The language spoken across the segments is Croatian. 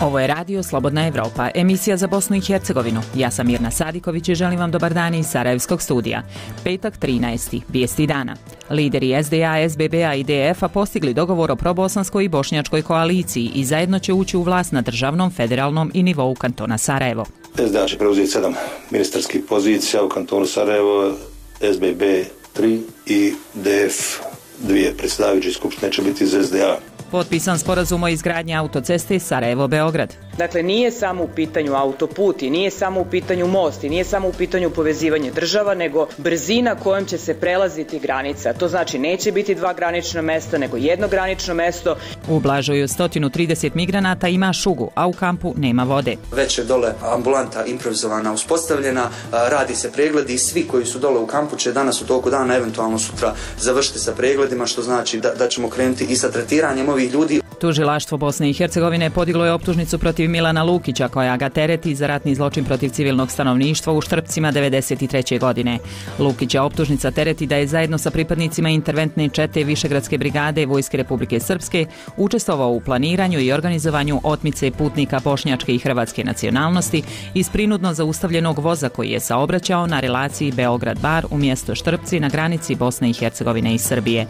Ovo je Radio Slobodna Evropa, emisija za Bosnu i Hercegovinu. Ja sam Mirna Sadiković i želim vam dobar dan iz Sarajevskog studija. Petak 13. Vijesti dana. Lideri SDA, SBB-a i DF-a postigli dogovor o probosanskoj i bošnjačkoj koaliciji i zajedno će ući u vlast na državnom, federalnom i nivou kantona Sarajevo. SDA će preuzeti 7 ministarskih pozicija u kantonu Sarajevo, SBB 3 i DF 2. Predsjedavajući skupštine će biti iz SDA. Potpisan sporazum o izgradnji autoceste Sarajevo-Beograd. Dakle, nije samo u pitanju autoput i nije samo u pitanju most i nije samo u pitanju povezivanje država, nego brzina kojom će se prelaziti granica. To znači neće biti 2 granična mesta, nego 1 granično mesto. U Blažuju 130 migranata ima šugu, a u kampu nema vode. Već je dole ambulanta improvizovana uspostavljena, radi se pregledi i svi koji su dole u kampu će danas u toku dana, eventualno sutra, završiti sa pregledima, što znači da ćemo krenuti i sa tretiranjem ovih ljudi. Tužilaštvo Bosne i Hercegovine podiglo je optužnicu protiv Milana Lukića koja ga tereti za ratni zločin protiv civilnog stanovništva u Štrpcima 1993. godine. Lukića optužnica tereti da je zajedno sa pripadnicima interventne čete Višegradske brigade Vojske Republike Srpske učestvovao u planiranju i organizovanju otmice putnika bošnjačke i hrvatske nacionalnosti iz prinudno zaustavljenog voza koji je saobraćao na relaciji Beograd-Bar u mjesto Štrpci na granici Bosne i Hercegovine i Srbije.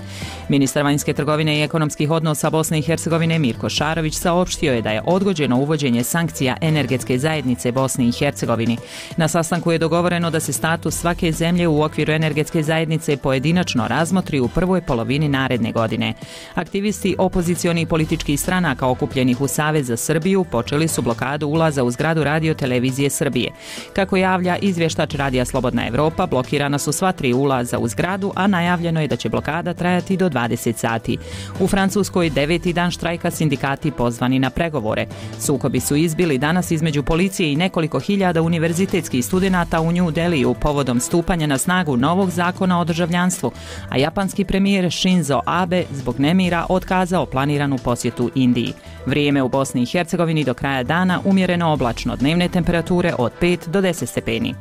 Ministar vanjske trgovine i ekonomskih odnosa Bosne i Hercegovine Mirko Šarović saopštio je da je odgođeno uvođenje sankcija energetske zajednice Bosni i Hercegovini. Na sastanku je dogovoreno da se status svake zemlje u okviru energetske zajednice pojedinačno razmotri u prvoj polovini naredne godine. Aktivisti opozicionih političkih stranaka okupljenih u Savez za Srbiju počeli su blokadu ulaza u zgradu Radio televizije Srbije. Kako javlja izvještač Radija Slobodna Evropa, blokirana su sva 3 ulaza u zgradu, a najavljeno je da će blokada trajati do 20 sati. U Francuskoj 9. dan štrajka sindikati pozvani na pregovore. Sukobi su izbili danas između policije i nekoliko hiljada univerzitetskih studenata u New Deliju povodom stupanja na snagu novog zakona o državljanstvu, a japanski premijer Shinzo Abe zbog nemira otkazao planiranu posjetu Indiji. Vrijeme u Bosni i Hercegovini do kraja dana umjereno oblačno, dnevne temperature od 5 do 10 stepeni.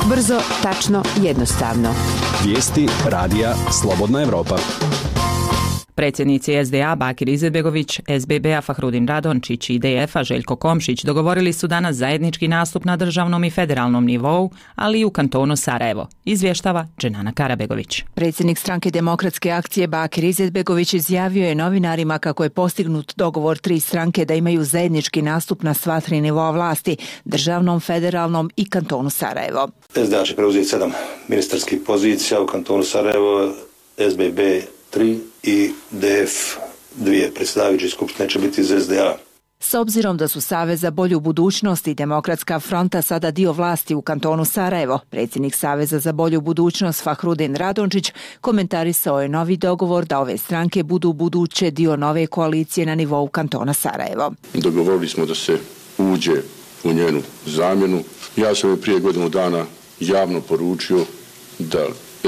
Brzo, tačno, jednostavno. Vijesti Radija Slobodna Evropa. Predsjednici SDA Bakir Izetbegović, SBB-a Fahrudin Radončić i DF-a Željko Komšić dogovorili su danas zajednički nastup na državnom i federalnom nivou, ali i u kantonu Sarajevo, izvještava Dženana Karabegović. Predsjednik stranke Demokratske akcije Bakir Izetbegović izjavio je novinarima kako je postignut dogovor 3 stranke da imaju zajednički nastup na sva 3 nivoa vlasti, državnom, federalnom i kantonu Sarajevo. SDA će preuzeti 7 ministarskih pozicija u kantonu Sarajevo, SBB 3 i DF 2. Predsjedavajući skupštine će biti iz SDA. S obzirom da su Savez za bolju budućnost i Demokratska fronta sada dio vlasti u kantonu Sarajevo, predsjednik Saveza za bolju budućnost Fahrudin Radončić komentarisao je novi dogovor da ove stranke budu buduće dio nove koalicije na nivou kantona Sarajevo. Dogovorili smo da se uđe u njenu zamjenu. Ja sam je prije godinu dana javno poručio da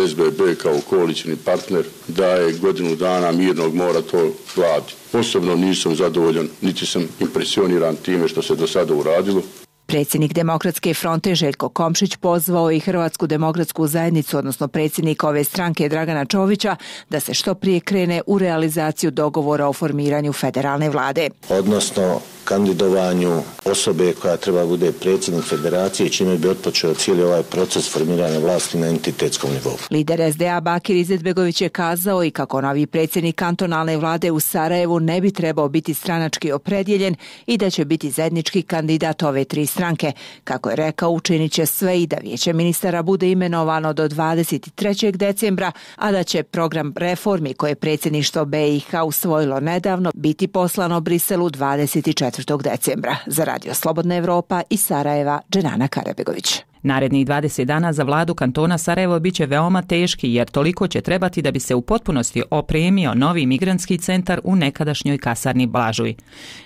SBB kao koalicijni partner daje godinu dana mirnog mora to vladi. Osobno nisam zadovoljan, niti sam impresioniran time što se do sada uradilo. Predsjednik Demokratske fronte Željko Komšić pozvao i Hrvatsku demokratsku zajednicu, odnosno predsjednika ove stranke Dragana Čovića, da se što prije krene u realizaciju dogovora o formiranju federalne vlade. Odnosno kandidovanju osobe koja treba bude predsjednik federacije, čime bi otpočeo cijeli ovaj proces formiranja vlasti na entitetskom nivou. Lider SDA Bakir Izetbegović je kazao i kako novi predsjednik kantonalne vlade u Sarajevu ne bi trebao biti stranački opredjeljen i da će biti zajednički kandidat ove 3 stranke. Kako je rekao, učinit će sve i da vijeće ministara bude imenovano do 23. decembra, a da će program reformi koje je predsjedništvo BiH usvojilo nedavno biti poslano Briselu 24. decembra. Za Radio Slobodna Evropa iz Sarajeva, Dženana Karabegović. Narednih 20 dana za vladu kantona Sarajevo biće veoma teški jer toliko će trebati da bi se u potpunosti opremio novi migrantski centar u nekadašnjoj kasarni Blažuj.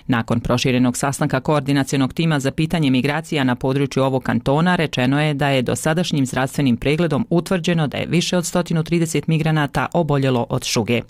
Nakon proširenog sastanka koordinacionog tima za pitanje migracija na području ovog kantona rečeno je da je dosadašnjim zdravstvenim pregledom utvrđeno da je više od 130 migranata oboljelo od šuge.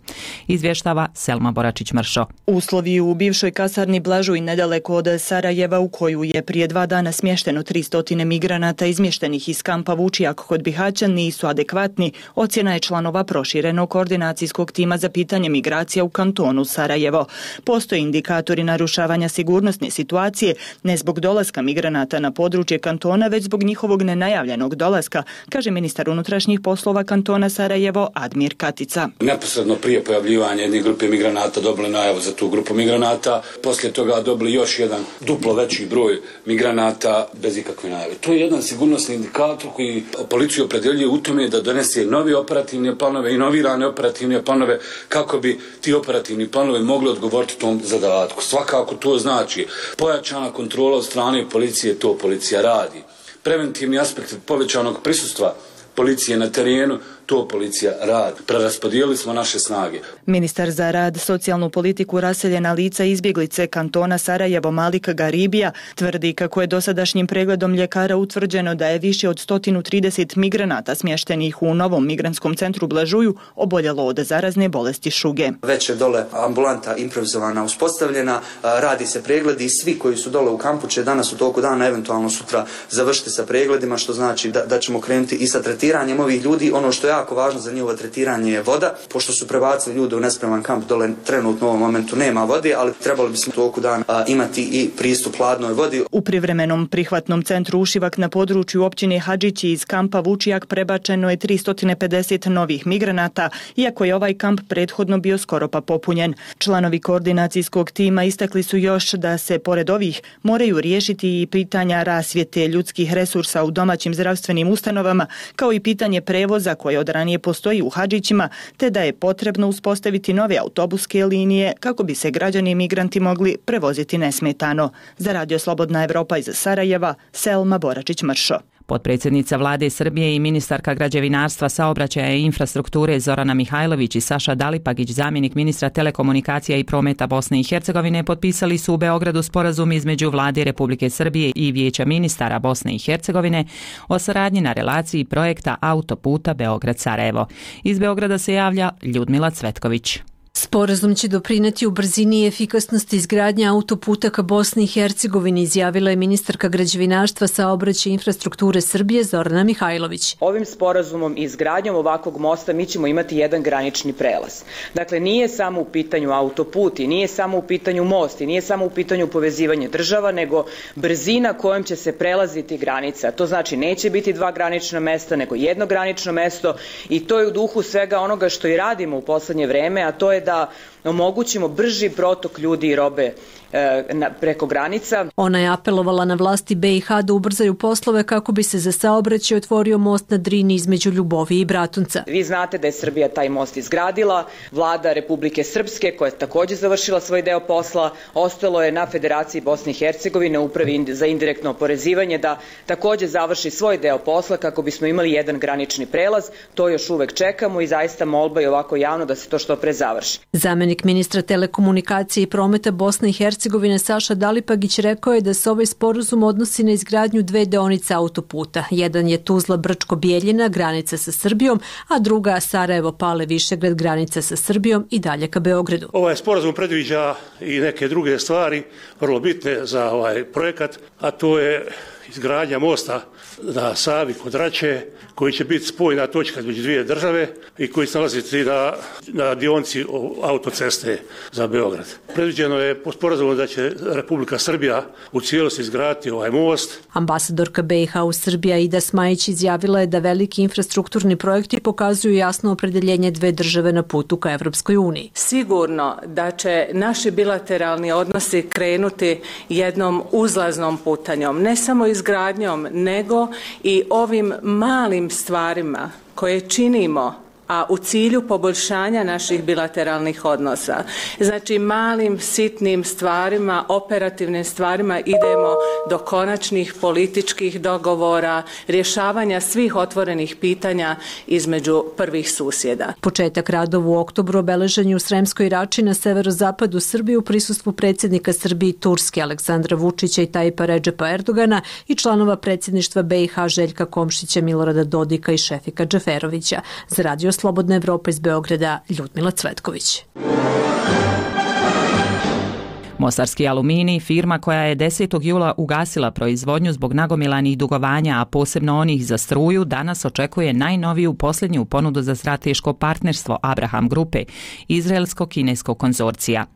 Izvještava Selma Boračić-Mršo. Uslovi u bivšoj kasarni Blažuj nedaleko od Sarajeva u koju je prije 2 dana smješteno 300 migranata iz izmještenih iz kampa Vučijak kod Bihaća nisu adekvatni, ocjena je članova proširenog koordinacijskog tima za pitanje migracija u kantonu Sarajevo. Postoje indikatori narušavanja sigurnosne situacije, ne zbog dolaska migranata na područje kantona, već zbog njihovog nenajavljenog dolaska, kaže ministar unutrašnjih poslova kantona Sarajevo Admir Katica. Neposredno prije pojavljivanja jedne grupe migranata dobili najavu za tu grupu migranata, poslije toga dobili još jedan duplo veći broj migranata bez ikakve najave. To je jedan sigurnosni indikator koji policiju opredjeljuje u tome da donese novi operativne planove, inovirane operativne planove kako bi ti operativni planovi mogli odgovoriti tom zadatku. Svakako to znači pojačana kontrola od strane policije, to policija radi. Preventivni aspekt povećanog prisustva policije na terenu, to policija radi. Preraspodijelili smo naše snage. Ministar za rad, socijalnu politiku, raseljena lica i izbjeglice kantona Sarajevo Malik Garibija tvrdi kako je dosadašnjim pregledom ljekara utvrđeno da je više od 130 migranata smještenih u novom migrantskom centru Blažuju oboljelo od zarazne bolesti šuge. Već je dole ambulanta improvizovana uspostavljena, radi se pregledi i svi koji su dole u kampu će danas u toku dana, eventualno sutra završiti sa pregledima, što znači da ćemo krenuti i sa tretiranjem ovih ljudi. Ono što je jako važno za njihovo tretiranje je voda, pošto su prebacili ljude u nespreman kamp, dole trenutno u ovom momentu nema vode, ali trebali bismo u toku dana imati i pristup hladnoj vodi. U privremenom prihvatnom centru Ušivak na području općine Hadžići iz kampa Vučijak prebačeno je 350 novih migranata, iako je ovaj kamp prethodno bio skoro pa popunjen. Članovi koordinacijskog tima istakli su još da se pored ovih moraju riješiti i pitanja rasvjete, ljudskih resursa u domaćim zdravstvenim ustanovama, kao i pitanje prevoza koje od ranije postoji u Hadžićima, te da je potrebno uspostaviti nove autobuske linije kako bi se građani i migranti mogli prevoziti nesmetano. Za Radio Slobodna Evropa iz Sarajeva, Selma Boračić-Mršo. Potpredsjednica Vlade Srbije i ministarka građevinarstva, saobraćaja i infrastrukture Zorana Mihajlović i Saša Dalipagić, zamjenik ministra telekomunikacija i prometa Bosne i Hercegovine, potpisali su u Beogradu sporazum između Vlade Republike Srbije i Vijeća ministara Bosne i Hercegovine o saradnji na relaciji projekta autoputa Beograd-Sarajevo. Iz Beograda se javlja Ljudmila Cvetković. Sporazum će doprineti u brzini i efikasnosti izgradnje autoputa ka Bosni i Hercegovini, izjavila je ministarka građevinarstva, saobraćaja i infrastrukture Srbije Zorana Mihajlović. Ovim sporazumom i izgradnjom ovakvog mosta mi ćemo imati jedan granični prelaz. Dakle, nije samo u pitanju autoput i nije samo u pitanju most i nije samo u pitanju povezivanje država, nego brzina kojom će se prelaziti granica. To znači neće biti dva granična mesta, nego jedno granično mesto, i to je u duhu svega onoga što i radimo u poslednje vreme, a to je da omogućimo brži protok ljudi i robe preko granica. Ona je apelovala na vlasti BiH da ubrzaju poslove kako bi se za saobraćaj otvorio most na Drini između Ljubovije i Bratunca. Vi znate da je Srbija taj most izgradila, Vlada Republike Srpske, koja je također završila svoj deo posla, ostalo je na Federaciji Bosne i Hercegovine, Upravi za indirektno oporezivanje, da također završi svoj deo posla kako bismo imali jedan granični prelaz. To još uvek čekamo i zaista molba je ovako javno da se to što pre završi. Zamjenik ministra telekomunikacije i prometa Bosne i Hercegovine Saša Dalipagić rekao je da se ovaj sporazum odnosi na izgradnju dve deonice autoputa. Jedan je Tuzla-Brčko-Bijeljina, granica sa Srbijom, a druga Sarajevo-Pale-Višegrad, granica sa Srbijom i dalje ka Beogradu. Ovaj sporazum predviđa i neke druge stvari vrlo bitne za ovaj projekat, a to je izgradnja mosta na Savi kod Rače, koji će biti spojna točka između dvije države i koji se nalaziti na dionici autoceste za Beograd. Predviđeno je po sporazumu da će Republika Srbija u cijelosti izgraditi ovaj most. Ambasadorka BiH u Srbiji Aida Smajić izjavila je da veliki infrastrukturni projekti pokazuju jasno opredeljenje dve države na putu ka Evropskoj uniji. Sigurno da će naši bilateralni odnosi krenuti jednom uzlaznom putanjom, ne samo izgradnjom, nego i ovim malim stvarima koje činimo, a u cilju poboljšanja naših bilateralnih odnosa. Znači, malim, sitnim stvarima, operativnim stvarima idemo do konačnih političkih dogovora, rješavanja svih otvorenih pitanja između prvih susjeda. Početak radova u oktobru obeležen je u Sremskoj Rači na severozapadu Srbije u prisustvu predsjednika Srbije i Turske Aleksandra Vučića i Tajipa Redžepa Erdogana i članova predsjedništva BiH Željka Komšića, Milorada Dodika i Šefika Džeferovića. Za Radio Slobodna Evropa iz Beograda, Ljudmila Cvetković. Mostarski aluminij, firma koja je 10. jula ugasila proizvodnju zbog nagomilanih dugovanja, a posebno onih za struju, danas očekuje najnoviju posljednju ponudu za strateško partnerstvo Abraham grupe, izraelsko-kineskog konzorcija.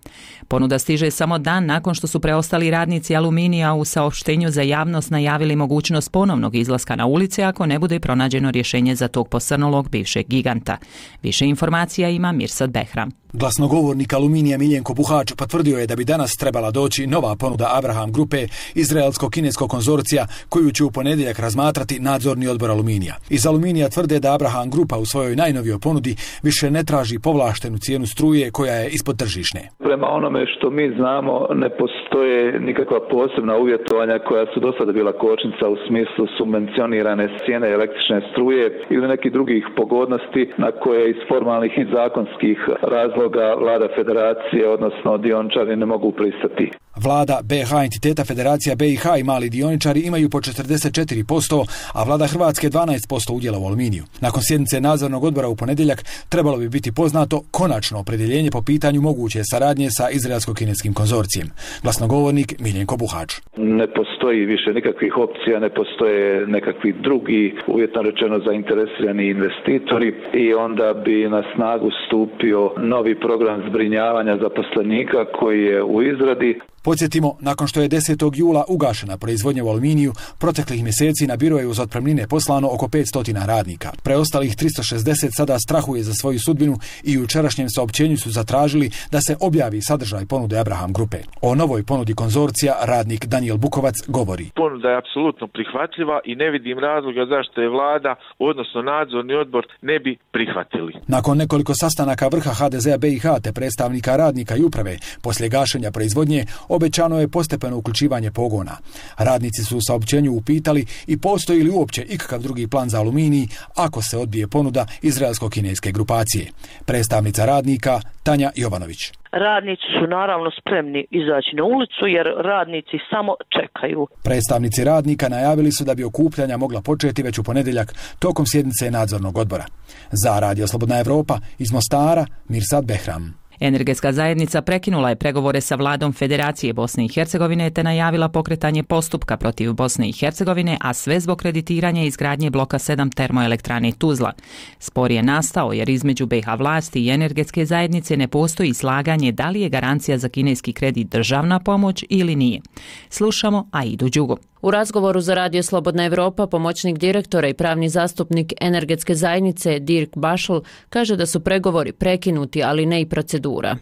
Ponuda stiže samo dan nakon što su preostali radnici aluminija u saopštenju za javnost najavili mogućnost ponovnog izlaska na ulice ako ne bude pronađeno rješenje za tog posrnulog bivšeg giganta. Više informacija ima Mirsad Behram. Glasnogovornik Aluminija Miljenko Buhač potvrdio je da bi danas trebala doći nova ponuda Abraham grupe, izraelsko-kineskog konzorcija, koju će u ponedjeljak razmatrati nadzorni odbor Aluminija. Iz Aluminija tvrde da Abraham grupa u svojoj najnovijoj ponudi više ne traži povlaštenu cijenu struje koja je ispod tržišne. Prema onome što mi znamo, ne postoje nikakva posebna uvjetovanja koja su do sada bila kočnica u smislu subvencionirane cijene električne struje ili nekih drugih pogodnosti na koje iz formalnih i zakonskih razloga vlada federacije, odnosno dioničari, ne mogu pristati. Vlada BiH entiteta Federacija BiH i mali dioničari imaju po 44%, a vlada Hrvatske 12% udjela u Aluminiju. Nakon sjednice nadzornog odbora u ponedjeljak trebalo bi biti poznato konačno opredjeljenje po pitanju moguće saradnje sa izraelsko-kineskim konzorcijem. Glasnogovornik Miljenko Buhač. Ne postoji više nikakvih opcija, ne postoje nekakvi drugi, uvjetno rečeno, zainteresirani investitori i onda bi na snagu stupio novi program zbrinjavanja zaposlenika koji je u izradi. Podsjetimo, nakon što je 10. jula ugašena proizvodnja u Aluminiju, proteklih mjeseci na biro je uz otpremnine poslano oko 500 radnika. Preostalih 360 sada strahuje za svoju sudbinu i u jučerašnjem saopćenju su zatražili da se objavi sadržaj ponude Abraham grupe. O novoj ponudi konzorcija radnik Daniel Bukovac govori. Ponuda je apsolutno prihvatljiva i ne vidim razloga zašto je vlada, odnosno nadzorni odbor, ne bi prihvatili. Nakon nekoliko sastanaka vrha HDZ-a BiH te predstavnika radnika i uprave, poslije gašenja proizvodnje, obećano je postepeno uključivanje pogona. Radnici su u saopćenju upitali i postoji li uopće ikakav drugi plan za Aluminij ako se odbije ponuda izraelsko-kineske grupacije. Predstavnica radnika Tanja Jovanović. Radnici su naravno spremni izaći na ulicu jer radnici samo čekaju. Predstavnici radnika najavili su da bi okupljanja mogla početi već u ponedjeljak tokom sjednice nadzornog odbora. Za Radio Slobodna Evropa iz Mostara, Mirsad Behram. Energetska zajednica prekinula je pregovore sa vladom Federacije Bosne i Hercegovine te najavila pokretanje postupka protiv Bosne i Hercegovine, a sve zbog kreditiranja izgradnje bloka 7 termoelektrane Tuzla. Spor je nastao jer između BiH vlasti i energetske zajednice ne postoji slaganje da li je garancija za kineski kredit državna pomoć ili nije. Slušamo Aidu Đugu. U razgovoru za Radio Slobodna Evropa pomoćnik direktora i pravni zastupnik energetske zajednice Dirk Bašl kaže da su pregovori prekinuti, ali ne i procedura.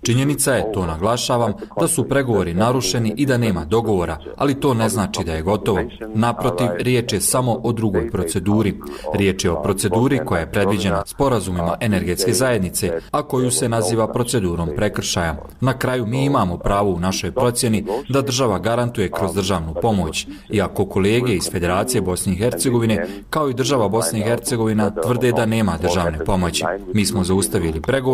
Činjenica je, to naglašavam, da su pregovori narušeni i da nema dogovora, ali to ne znači da je gotovo. Naprotiv, riječ je samo o drugoj proceduri. Riječ je o proceduri koja je predviđena sporazumima energetske zajednice, a koju se naziva procedurom prekršaja. Na kraju mi imamo pravo u našoj procjeni da država garantuje kroz državnu pomoć. Iako kolege iz Federacije Bosne i Hercegovine, kao i država Bosne i Hercegovina, tvrde da nema državne pomoći. Mi smo zaustavili pregovore,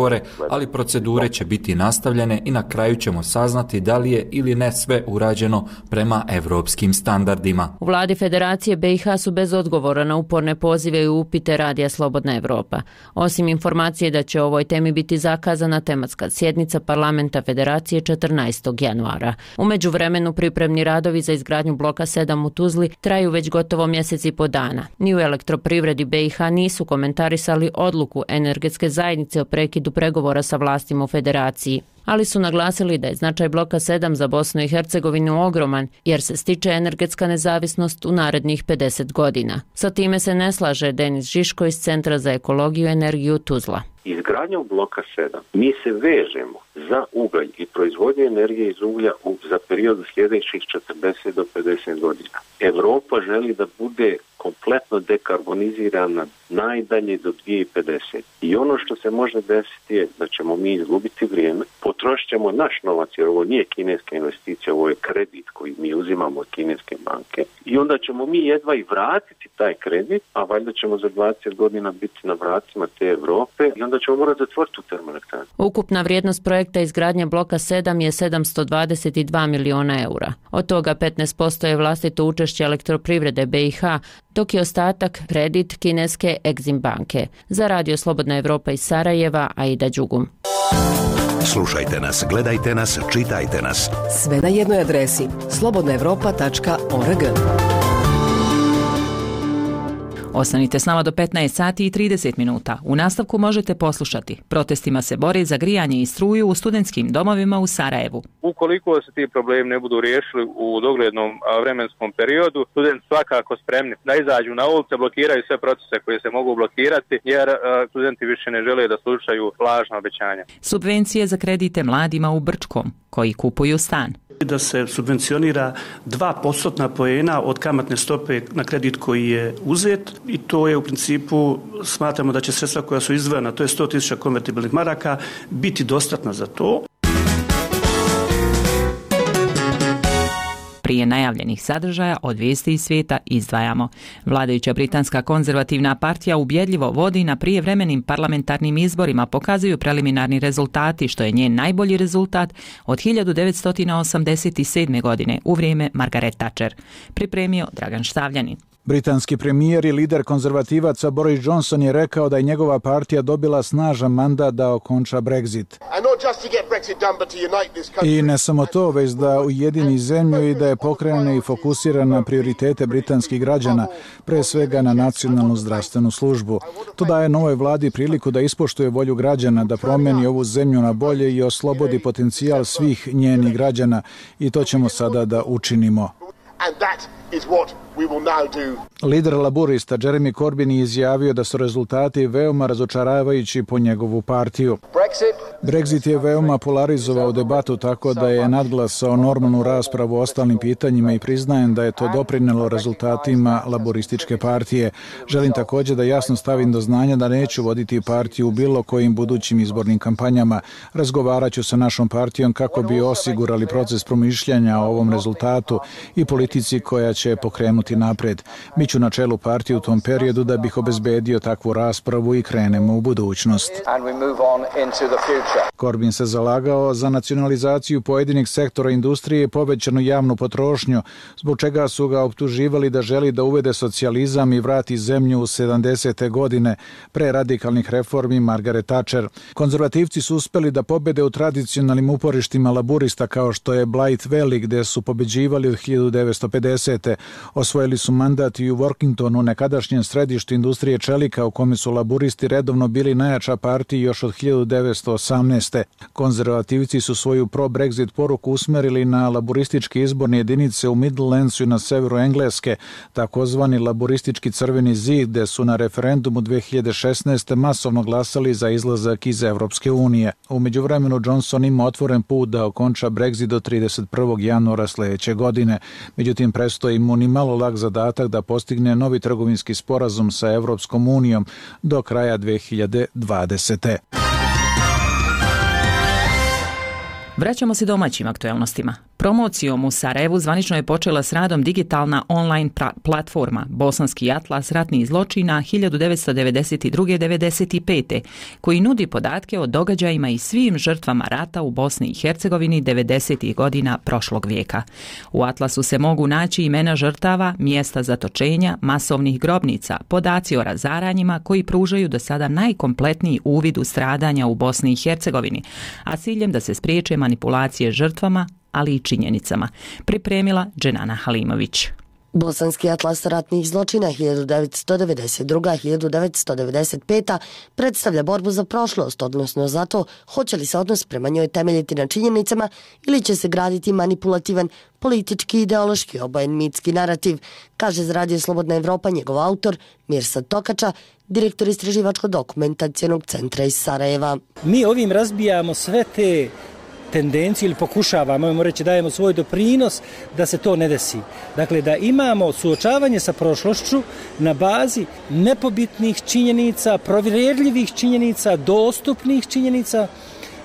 ali procedure će biti nastavljene i na kraju ćemo saznati da li je ili ne sve urađeno prema evropskim standardima. U vladi Federacije BiH su bez odgovora na uporne pozive i upite Radija Slobodna Evropa. Osim informacije da će o ovoj temi biti zakazana tematska sjednica parlamenta Federacije 14. januara. U međuvremenu pripremni radovi za izgradnju bloka 7 u Tuzli traju već gotovo mjesec i po dana. Ni u elektroprivredi BiH nisu komentarisali odluku energetske zajednice o prekidu pregovora sa vlastima u Federaciji, ali su naglasili da je značaj bloka 7 za Bosnu i Hercegovinu ogroman, jer se stiče energetska nezavisnost u narednih 50 godina. Sa time se ne slaže Denis Žiško iz Centra za ekologiju i energiju Tuzla. Izgradnjom bloka 7 mi se vežemo za ugalj i proizvodnju energije iz uglja za period sljedećih 40 do 50 godina. Evropa želi da bude kompletno dekarbonizirana najdalje do 2050. I ono što se može desiti je da ćemo mi izgubiti vrijeme, potrošit ćemo naš novac, jer ovo nije kineska investicija, ovo je kredit koji mi uzimamo od kineske banke i onda ćemo mi jedva i vratiti taj kredit, a valjda ćemo za 20 godina biti na vratima te Europe i onda ćemo morati zatvoriti tu termoelektranu. Ukupna vrijednost projekta izgradnje bloka 7 je 722 miliona eura. Od toga 15% je vlastito učešće Elektroprivrede BiH, dok je ostatak kredit kineske Exim banke. Za Radio Slobodna Evropa iz Sarajeva, Aida Đugum. Slušajte nas, gledajte nas, čitajte nas. Sve na jednoj adresi slobodnaevropa.org. Ostanite s nama do 15 sati i 30 minuta. U nastavku možete poslušati. Protestima se bore za grijanje i struju u studentskim domovima u Sarajevu. Ukoliko se ti problemi ne budu riješili u doglednom vremenskom periodu, studenti svakako spremni da izađu na ulice, blokiraju sve procese koje se mogu blokirati, jer studenti više ne žele da slušaju lažna obećanja. Subvencije za kredite mladima u Brčkom, koji kupuju stan. Da se subvencionira 2% poena od kamatne stope na kredit koji je uzet i to je u principu, smatramo da će sredstva koja su izdvojena, to je 100.000 konvertibilnih maraka, biti dostatna za to. Prije najavljenih sadržaja od vijesti iz svijeta izdvajamo. Vladajuća britanska konzervativna partija ubjedljivo vodi na prijevremenim parlamentarnim izborima, pokazuju preliminarni rezultati, što je njen najbolji rezultat od 1987. godine u vrijeme Margaret Thatcher. Pripremio Dragan Štavljanin. Britanski premijer i lider konzervativaca Boris Johnson je rekao da je njegova partija dobila snažan mandat da okonča Brexit. I ne samo to, već da ujedini zemlju i da je pokrene i fokusira na prioritete britanskih građana, pre svega na nacionalnu zdravstvenu službu. To daje novoj vladi priliku da ispoštuje volju građana, da promijeni ovu zemlju na bolje i oslobodi potencijal svih njenih građana i to ćemo sada da učinimo. Lider laburista Jeremy Corbyn je izjavio da su rezultati veoma razočaravajući po njegovu partiju. Brexit je veoma polarizovao debatu tako da je nadglasao normalnu raspravu o ostalim pitanjima i priznajem da je to doprinelo rezultatima laborističke partije. Želim također da jasno stavim do znanja da neću voditi partiju u bilo kojim budućim izbornim kampanjama. Razgovarat ću sa našom partijom kako bi osigurali proces promišljanja o ovom rezultatu i politici koja će pokrenuti napred. Biću na čelu partije u tom periodu da bih obezbedio takvu raspravu i krenemo u budućnost. Corbyn se zalagao za nacionalizaciju pojedinih sektora industrije i povećanu javnu potrošnju, zbog čega su ga optuživali da želi da uvede socijalizam i vrati zemlju u 70. godine pre radikalnih reformi Margaret Thatcher. Konzervativci su uspeli da pobede u tradicionalnim uporištima laburista kao što je Blythe Valley, gde su pobeđivali od 1950. Osvojili su mandat i u Workingtonu, nekadašnjem središtu industrije čelika, u kome su laburisti redovno bili najjača partija još od 1918. Konzervativci su svoju pro-Brexit poruku usmerili na laburističke izborne jedinice u Midlandsu i na severu Engleske, takozvani laburistički crveni zid, gde su na referendumu 2016. masovno glasali za izlazak iz Evropske unije. U međuvremenu Johnson ima otvoren put da okonča Brexit do 31. januara sljedeće godine. Međutim, prestoji mu ni malo lak zadatak da postigne novi trgovinski sporazum sa Evropskom unijom do kraja 2020. Vraćamo se domaćim aktuelnostima. Promocijom u Sarajevu zvanično je počela s radom digitalna online platforma Bosanski atlas ratnih zločina 1992-95, koji nudi podatke o događajima i svim žrtvama rata u Bosni i Hercegovini 90. godina prošlog vijeka. U atlasu se mogu naći imena žrtava, mjesta zatočenja, masovnih grobnica, podaci o razaranjima koji pružaju do sada najkompletniji uvid u stradanja u Bosni i Hercegovini, a ciljem da se spriječe manipulacije žrtvama, ali i činjenicama. Pripremila Dženana Halimović. Bosanski atlas ratnih zločina 1992-1995 predstavlja borbu za prošlost, odnosno za to hoće li se odnos prema njoj temeljiti na činjenicama ili će se graditi manipulativan, politički, ideološki, obojen mitski narativ, kaže za Radio Slobodna Evropa njegov autor Mirsad Tokača, direktor istraživačko-dokumentacijenog centra iz Sarajeva. Mi ovim razbijamo sve te tendenciju ili pokušavamo, možemo reći, dajemo svoj doprinos da se to ne desi. Dakle, da imamo suočavanje sa prošlošću na bazi nepobitnih činjenica, provjerljivih činjenica, dostupnih činjenica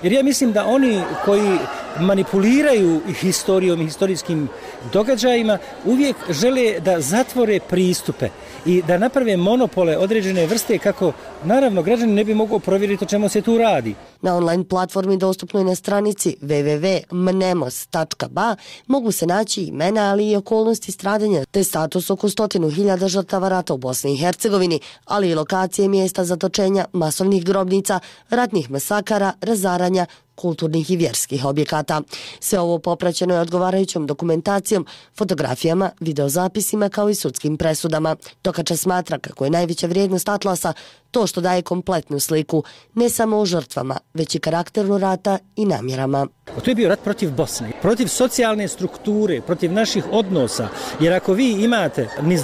Jer ja mislim da oni koji manipuliraju historijom i historijskim događajima uvijek žele da zatvore pristupe i da naprave monopole određene vrste kako, naravno, građani ne bi mogao provjeriti o čemu se tu radi. Na online platformi dostupnoj na stranici www.mnemos.ba mogu se naći imena, ali i okolnosti stradanja, te status oko 100.000 žrtava rata u Bosni i Hercegovini, ali i lokacije mjesta zatočenja, masovnih grobnica, ratnih masakara, razaranja, kulturnih i vjerskih objekata. Sve ovo popraćeno je odgovarajućom dokumentacijom, fotografijama, videozapisima kao i sudskim presudama. Tokača smatra kako je najveća vrijednost Atlasa to što daje kompletnu sliku, ne samo o žrtvama, već i karakteru rata i namjerama. To je bio rat protiv Bosne, protiv socijalne strukture, protiv naših odnosa, jer ako vi imate niz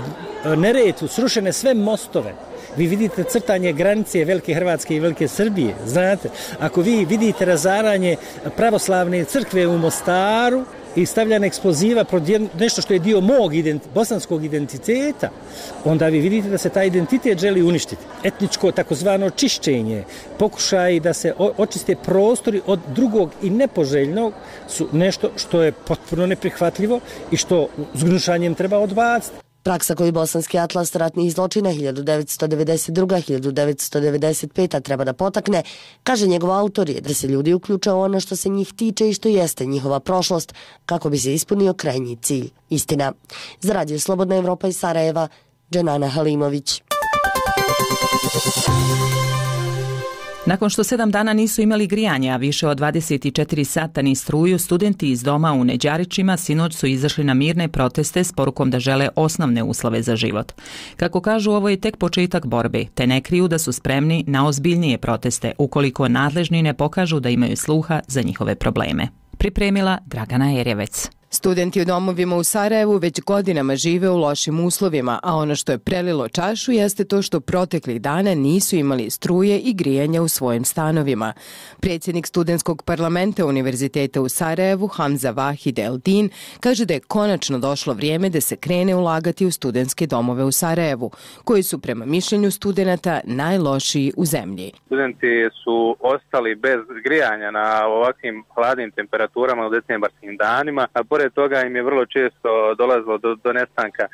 Neretvu srušene sve mostove, vi vidite crtanje granice Velike Hrvatske i Velike Srbije, znate. Ako vi vidite razaranje pravoslavne crkve u Mostaru i stavljanje eksploziva protiv nešto što je dio mog bosanskog identiteta, onda vi vidite da se taj identitet želi uništiti. Etničko takozvano čišćenje, pokušaj da se očiste prostori od drugog i nepoželjnog su nešto što je potpuno neprihvatljivo i što s gnušanjem treba odbaciti. Praksa koju Bosanski atlas ratnih zločina 1992-1995 treba da potakne, kaže njegov autor, je da se ljudi uključe u ono što se njih tiče i što jeste njihova prošlost, kako bi se ispunio krajnji cilj, istina. Za Radio Slobodna Evropa iz Sarajeva, Dženana Halimović. Nakon što 7 dana nisu imali grijanja, a više od 24 sata ni struju, studenti iz doma u Neđarićima sinoć su izašli na mirne proteste s porukom da žele osnovne uslove za život. Kako kažu, ovo je tek početak borbe, te ne kriju da su spremni na ozbiljnije proteste ukoliko nadležni ne pokažu da imaju sluha za njihove probleme. Pripremila Dragana Erjevec. Studenti u domovima u Sarajevu već godinama žive u lošim uslovima, a ono što je prelilo čašu jeste to što proteklih dana nisu imali struje i grijanja u svojim stanovima. Predsjednik studentskog parlamenta Univerziteta u Sarajevu, Hamza Vahid Eldin, kaže da je konačno došlo vrijeme da se krene ulagati u studentske domove u Sarajevu, koji su prema mišljenju studenata najlošiji u zemlji. Studenti su ostali bez grijanja na ovakvim hladnim temperaturama u decembarskim danima, a pored toga im je vrlo često dolazilo do nestanka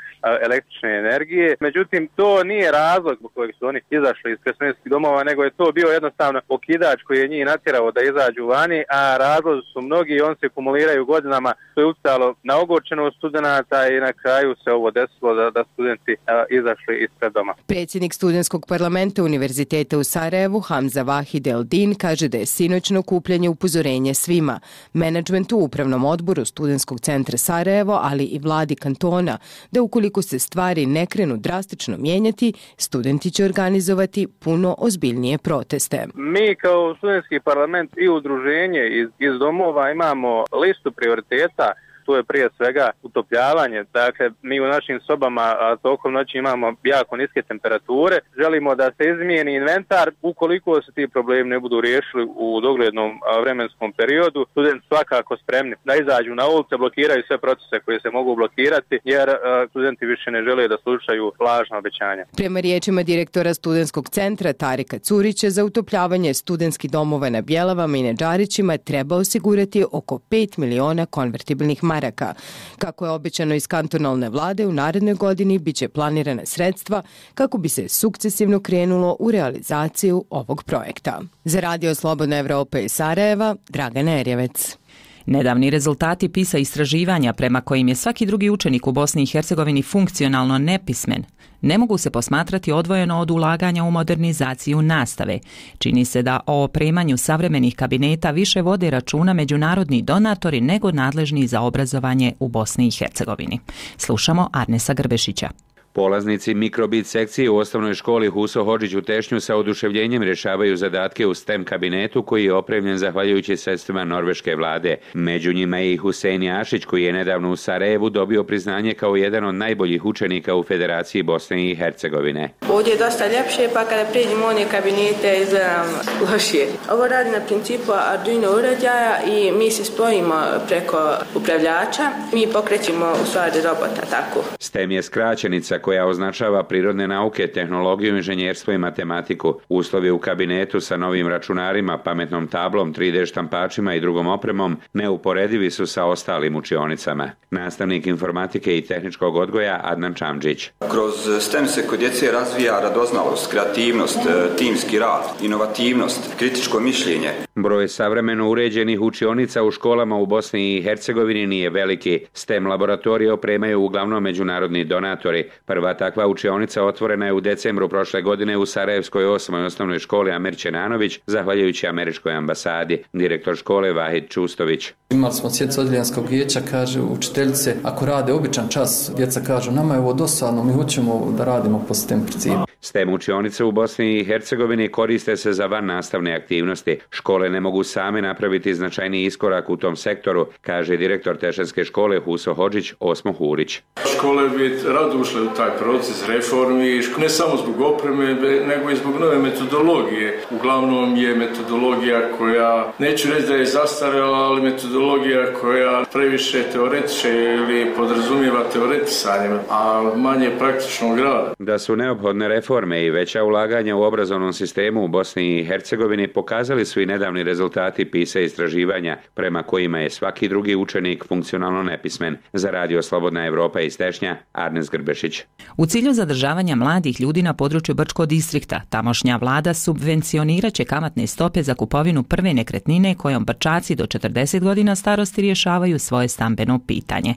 električne energije. Međutim, to nije razlog zbog kojeg su oni izašli iz studentskih domova, nego je to bio jednostavno okidač koji je njih natjerao da izađu vani, a razlozi su mnogi i on se kumuliraju godinama. To je utjecalo na ogorčenost studenata i na kraju se ovo desilo da studenti izašli ispred doma. Predsjednik studentskog parlamenta Univerziteta u Sarajevu, Hamza Vahid Eldin, kaže da je sinoćno okupljanje upozorenje svima, menadžmentu, upravnom odboru studentskog centra Sarajevo, ali i vladi kantona, da ukoliko se stvari ne krenu drastično mijenjati, studenti će organizovati puno ozbiljnije proteste. Mi kao studentski parlament i udruženje iz domova imamo listu prioriteta. To je prije svega utopljavanje. Dakle, mi u našim sobama tokom noći imamo jako niske temperature. Želimo da se izmijeni inventar. Ukoliko se ti problemi ne budu riješili u doglednom vremenskom periodu, studenti svakako spremni da izađu na ulice, blokiraju sve procese koje se mogu blokirati, jer studenti više ne žele da slušaju lažna obećanja. Prema riječima direktora studentskog centra Tarika Curića, za utopljavanje studentskih domova na Bjelavama i Neđarićima treba osigurati oko 5 miliona konvertibilnih maraka. Kako je obećano iz kantonalne vlade, u narednoj godini biće planirana sredstva kako bi se sukcesivno krenulo u realizaciju ovog projekta. Za Radio Slobodna Evropa iz Sarajeva, Dragana Erjevec. Nedavni rezultati PISA istraživanja prema kojim je svaki drugi učenik u Bosni i Hercegovini funkcionalno nepismen ne mogu se posmatrati odvojeno od ulaganja u modernizaciju nastave. Čini se da o opremanju savremenih kabineta više vode računa međunarodni donatori nego nadležni za obrazovanje u Bosni i Hercegovini. Slušamo Arnesa Grbešića. Polaznici mikrobit sekcije u osnovnoj školi Huso Hodžić u Tešnju sa oduševljenjem rješavaju zadatke u STEM kabinetu koji je opremljen zahvaljujući sredstvima norveške vlade. Među njima je i Husein Jašić koji je nedavno u Sarajevu dobio priznanje kao jedan od najboljih učenika u Federaciji Bosne i Hercegovine. Ovdje je dosta ljepše, pa kada priđemo one kabinete izgledam lošije. Ovo radi na principu Arduino uređaja i mi se spojimo preko upravljača. Mi pokrećemo u stvari robota tako. STEM je skraćenica koja označava prirodne nauke, tehnologiju, inženjerstvo i matematiku. Uslovi u kabinetu sa novim računarima, pametnom tablom, 3D štampačima i drugom opremom neuporedivi su sa ostalim učionicama. Nastavnik informatike i tehničkog odgoja Adnan Čamđić. Kroz STEM se kod djece razvija radoznalost, kreativnost, timski rad, inovativnost, kritičko mišljenje. Broj savremeno uređenih učionica u školama u Bosni i Hercegovini nije veliki. STEM laboratorije opremaju uglavnom međunarodni donatori. Prva takva učionica otvorena je u decembru prošle godine u Sarajevskoj 8. osnovnoj školi Amir Ćenanović, zahvaljujući američkoj ambasadi. Direktor škole Vahid Čustović. Imali smo sjednicu odjeljanskog vijeća, kaže učiteljice, ako rade običan čas, djeca kažu nama je ovo dosadno, mi hoćemo da radimo po STEM principu. STEM učionice u Bosni i Hercegovini koriste se za van nastavne aktivnosti. Škole ne mogu same napraviti značajni iskorak u tom sektoru, kaže direktor Tešenske škole Huso Hodžić Osmo Hurić. Škole bi rado ušle u taj proces reformi, ne samo zbog opreme, nego i zbog nove metodologije. Uglavnom je metodologija koja, neću reći da je zastarjela, ali metodologija koja previše teoretiče ili podrazumijeva teoretisanjem, a manje praktičnog rada. Da su neophodne reforme i veća ulaganja u obrazovnom sistemu u Bosni i Hercegovini pokazali su i nedavni rezultati PISA istraživanja, prema kojima je svaki drugi učenik funkcionalno nepismen. Za Radio Slobodna Evropa iz Tešnja, Arnes Grbešić. U cilju zadržavanja mladih ljudi na području Brčkog distrikta, tamošnja vlada subvencionirat će kamatne stope za kupovinu prve nekretnine kojom Brčaci do 40 godina starosti rješavaju svoje stambeno pitanje.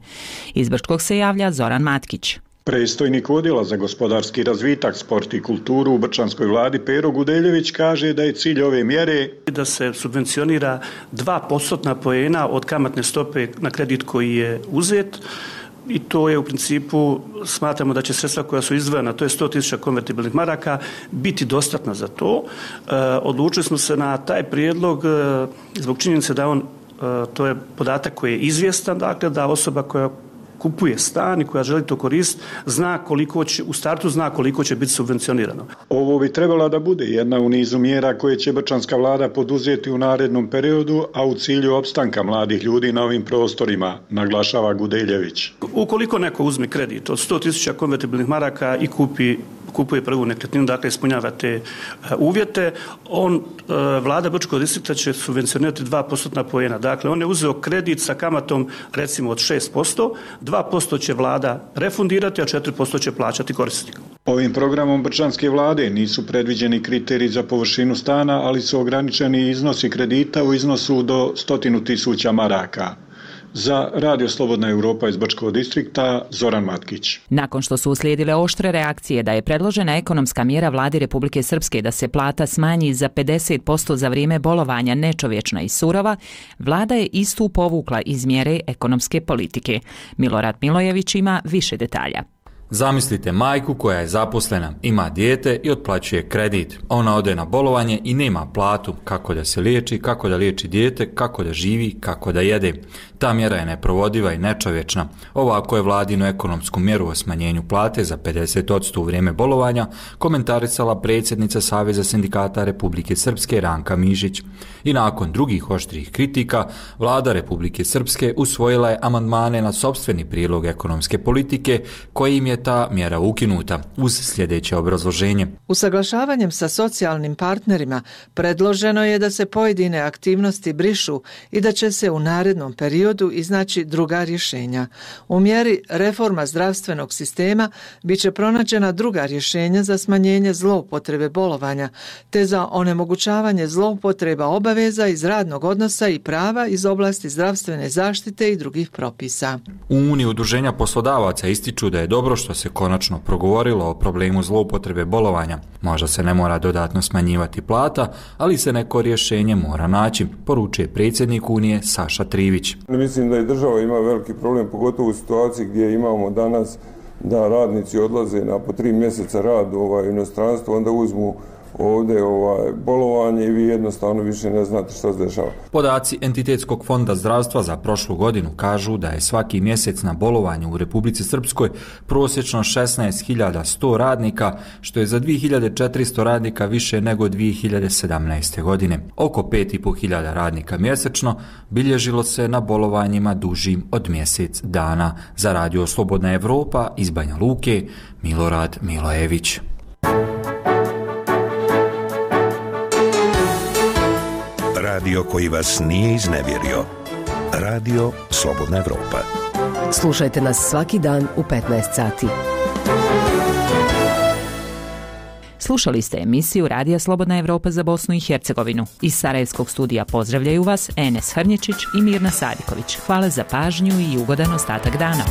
Iz Brčkog se javlja Zoran Matkić. Predstojnik odjela za gospodarski razvitak, sport i kulturu u brčanskoj vladi Pero Gudeljević kaže da je cilj ove mjere da se subvencionira 2% poena od kamatne stope na kredit koji je uzet. I to je u principu, smatramo da će sredstva koja su izdvojena, to je 100.000 konvertibilnih maraka, biti dostatna za to. Odlučili smo se na taj prijedlog zbog činjenice da to je podatak koji je izvjestan, dakle da osoba koja kupuje stan i koja želi to koristiti, zna koliko će, u startu zna koliko će biti subvencionirano. Ovo bi trebala da bude jedna u nizu mjera koje će brčanska vlada poduzeti u narednom periodu, a u cilju opstanka mladih ljudi na ovim prostorima, naglašava Gudeljević. Ukoliko neko uzme kredit od 100.000 konvertibilnih maraka i kupuje prvu nekretninu, dakle ispunjava te uvjete, vlada Brčkog distrikta će subvencionirati 2% poena. Dakle, on je uzeo kredit sa kamatom recimo od 6%, 2% će vlada refundirati, a 4% će plaćati korisnik. Ovim programom brčanske vlade nisu predviđeni kriteriji za površinu stana, ali su ograničeni iznosi kredita u iznosu do 100.000 maraka. Za Radio Slobodna Evropa iz Brčkog distrikta, Zoran Matkić. Nakon što su uslijedile oštre reakcije da je predložena ekonomska mjera vladi Republike Srpske da se plata smanji za 50% za vrijeme bolovanja nečovječna i surova, vlada je istu povukla iz mjere ekonomske politike. Milorad Milojević ima više detalja. Zamislite majku koja je zaposlena, ima dijete i otplaćuje kredit. Ona ode na bolovanje i nema platu, kako da se liječi, kako da liječi dijete, kako da živi, kako da jede. Ta mjera je neprovodiva i nečovječna. Ovako je vladinu ekonomsku mjeru o smanjenju plate za 50% u vrijeme bolovanja komentarisala predsjednica Saveza sindikata Republike Srpske Ranka Mišić. I nakon drugih oštrih kritika, vlada Republike Srpske usvojila je amandmane na sopstveni prijedlog ekonomske politike kojim je ta mjera ukinuta uz sljedeće obrazloženje. Usaglašavanjem sa socijalnim partnerima predloženo je da se pojedine aktivnosti brišu i da će se u narednom periodu iznaći druga rješenja. U mjeri reforma zdravstvenog sistema bit će pronađena druga rješenja za smanjenje zloupotrebe bolovanja, te za onemogućavanje zloupotreba obaveza iz radnog odnosa i prava iz oblasti zdravstvene zaštite i drugih propisa. U Uniji udruženja poslodavaca ističu da je dobro što se konačno progovorilo o problemu zloupotrebe bolovanja. Možda se ne mora dodatno smanjivati plata, ali se neko rješenje mora naći, poručuje predsjednik Unije Saša Trivić. Mislim da i država ima veliki problem, pogotovo u situaciji gdje imamo danas da radnici odlaze na po 3 mjeseca rad u inostranstvo, onda uzmu ovdje bolovanje i vi jednostavno više ne znate što se dešava. Podaci Entitetskog fonda zdravstva za prošlu godinu kažu da je svaki mjesec na bolovanju u Republici Srpskoj prosječno 16.100 radnika, što je za 2.400 radnika više nego 2017. godine. Oko 5.500 radnika mjesečno bilježilo se na bolovanjima dužim od mjesec dana. Za Radio Slobodna Evropa iz Banja Luke, Milorad Milojević. Radio koji vas nije iznevjerio. Radio Slobodna Evropa. Slušajte nas svaki dan u 15 sati. Slušali ste emisiju Radija Slobodna Evropa za Bosnu i Hercegovinu. Iz Sarajevskog studija pozdravljaju vas Enes Hrnječić i Mirna Sadiković. Hvala za pažnju i ugodan ostatak dana.